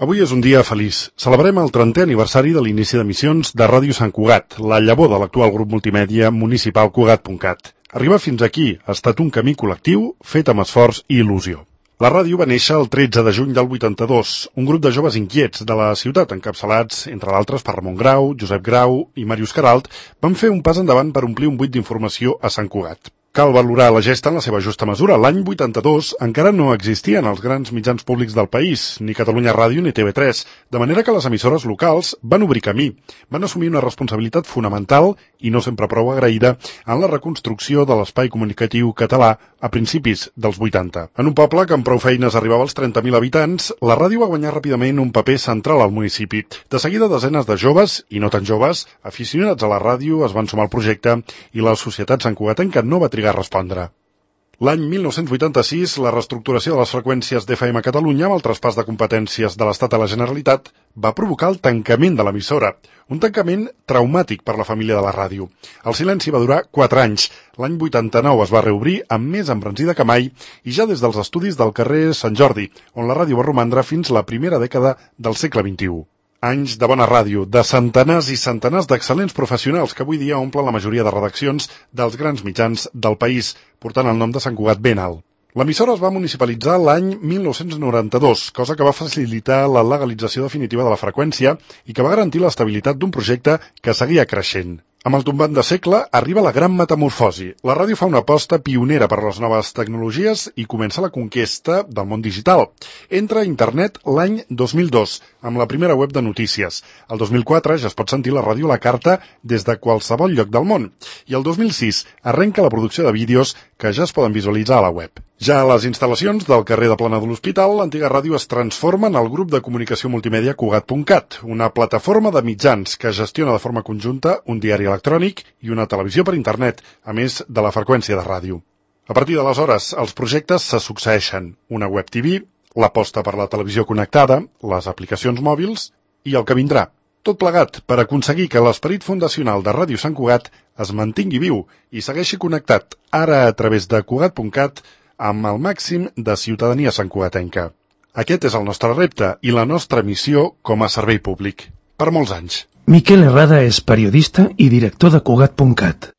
Avui és un dia feliç. Celebrem el 30è aniversari de l'inici d'emissions de Ràdio Sant Cugat, la llavor de l'actual grup multimèdia municipal Cugat.cat. Arribar fins aquí ha estat un camí col·lectiu fet amb esforç i il·lusió. La ràdio va néixer el 13 de juny del 82, un grup de joves inquiets de la ciutat, encapçalats, entre d'altres, per Ramon Grau, Josep Grau i Màrius Queralt, van fer un pas endavant per omplir un buit d'informació a Sant Cugat. Cal valorar la gesta en la seva justa mesura. L'any 82 encara no existien els grans mitjans públics del país, ni Catalunya Ràdio ni TV3, de manera que les emissores locals van obrir camí, van assumir una responsabilitat fonamental i no sempre prou agraïda en la reconstrucció de l'espai comunicatiu català a principis dels 80. En un poble que amb prou feines arribava als 30.000 habitants, la ràdio va guanyar ràpidament un paper central al municipi. De seguida, desenes de joves, i no tan joves, aficionats a la ràdio es van sumar al projecte i la societat santcugatenca no va trigar a respondre. L'any 1986, la reestructuració de les freqüències d'FM a Catalunya amb el traspàs de competències de l'Estat a la Generalitat va provocar el tancament de l'emissora, un tancament traumàtic per la família de la ràdio. El silenci va durar 4 anys. L'any 89 es va reobrir amb més embranzida que mai i ja des dels estudis del carrer Sant Jordi, on la ràdio va romandre fins la primera dècada del segle XXI. Anys de bona ràdio, de centenars i centenars d'excel·lents professionals que avui dia omplen la majoria de redaccions dels grans mitjans del país, portant el nom de Sant Cugat ben alt. L'emissora es va municipalitzar l'any 1992, cosa que va facilitar la legalització definitiva de la freqüència i que va garantir l'estabilitat d'un projecte que seguia creixent. Amb el tombant de segle arriba la gran metamorfosi. La ràdio fa una aposta pionera per les noves tecnologies i comença la conquesta del món digital. Entra a internet l'any 2002, amb la primera web de notícies. El 2004 ja es pot sentir la ràdio a la carta des de qualsevol lloc del món. I el 2006 arrenca la producció de vídeos que ja es poden visualitzar a la web. Ja a les instal·lacions del carrer de Plana de l'Hospital, l'antiga ràdio es transforma en el grup de comunicació multimèdia Cugat.cat, una plataforma de mitjans que gestiona de forma conjunta un diari electrònic i una televisió per internet, a més de la freqüència de ràdio. A partir d'aleshores, els projectes se succeeixen. Una web TV, l'aposta per la televisió connectada, les aplicacions mòbils i el que vindrà. Tot plegat per aconseguir que l'esperit fundacional de Ràdio Sant Cugat es mantingui viu i segueixi connectat, ara a través de Cugat.cat, amb el màxim de ciutadania santcugatenca. Aquest és el nostre repte i la nostra missió com a servei públic. Per molts anys. Miquel Herrada és periodista i director de Cugat.cat.